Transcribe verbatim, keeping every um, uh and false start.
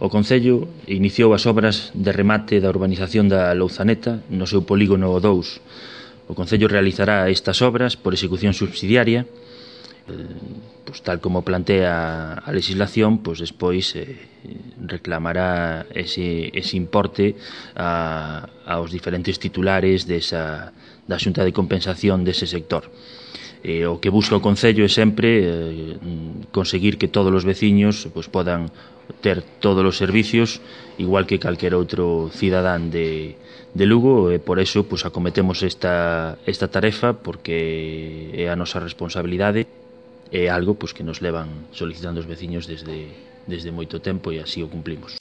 O Concello iniciou as obras de remate da urbanización da Louzaneta no seu polígono dous. O Concello realizará estas obras por execución subsidiaria, pues, tal como plantea a legislación, pues despois eh, reclamará ese, ese importe a, aos diferentes titulares desa, da Xunta de Compensación dese sector. Eh, o que busca o Concello é sempre eh, conseguir que todos os veciños pues, podan ter todos os servicios igual que calquer outro cidadán de, de Lugo, e por eso pues, acometemos esta, esta tarefa porque é a nosa responsabilidade, é algo pues, que nos levan solicitando os veciños desde, desde moito tempo e así o cumplimos.